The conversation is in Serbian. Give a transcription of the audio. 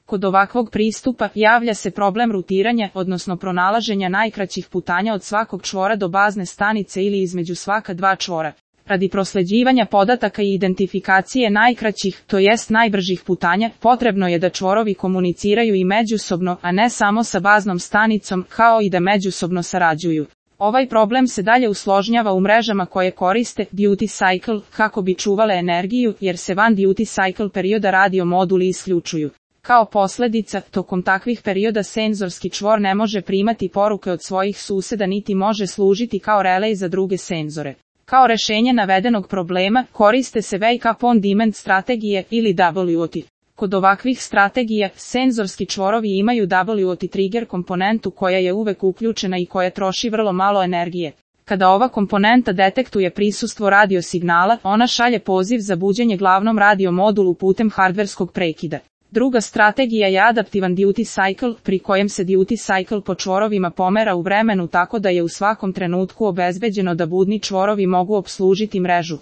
Kod ovakvog pristupa javlja se problem rutiranja, odnosno pronalaženja najkraćih putanja od svakog čvora do bazne stanice ili između svaka dva čvora. Radi prosleđivanja podataka i identifikacije najkraćih, to jest najbržih putanja, potrebno je da čvorovi komuniciraju i međusobno, a ne samo sa baznom stanicom, kao i da međusobno sarađuju. Ovaj problem se dalje usložnjava u mrežama koje koriste duty cycle kako bi čuvale energiju, jer se van duty cycle perioda radio moduli isključuju. Kao posledica, tokom takvih perioda senzorski čvor ne može primati poruke od svojih suseda niti može služiti kao relej za druge senzore. Kao rešenje navedenog problema, koriste se Wake Up On Demand strategije ili WOT. Kod ovakvih strategija, senzorski čvorovi imaju WOT trigger komponentu koja je uvek uključena i koja troši vrlo malo energije. Kada ova komponenta detektuje prisustvo radio signala, ona šalje poziv za buđenje glavnom radio modulu putem hardverskog prekida. Druga strategija je adaptivan duty cycle, pri kojem se duty cycle po čvorovima pomera u vremenu tako da je u svakom trenutku obezbeđeno da budni čvorovi mogu opslužiti mrežu.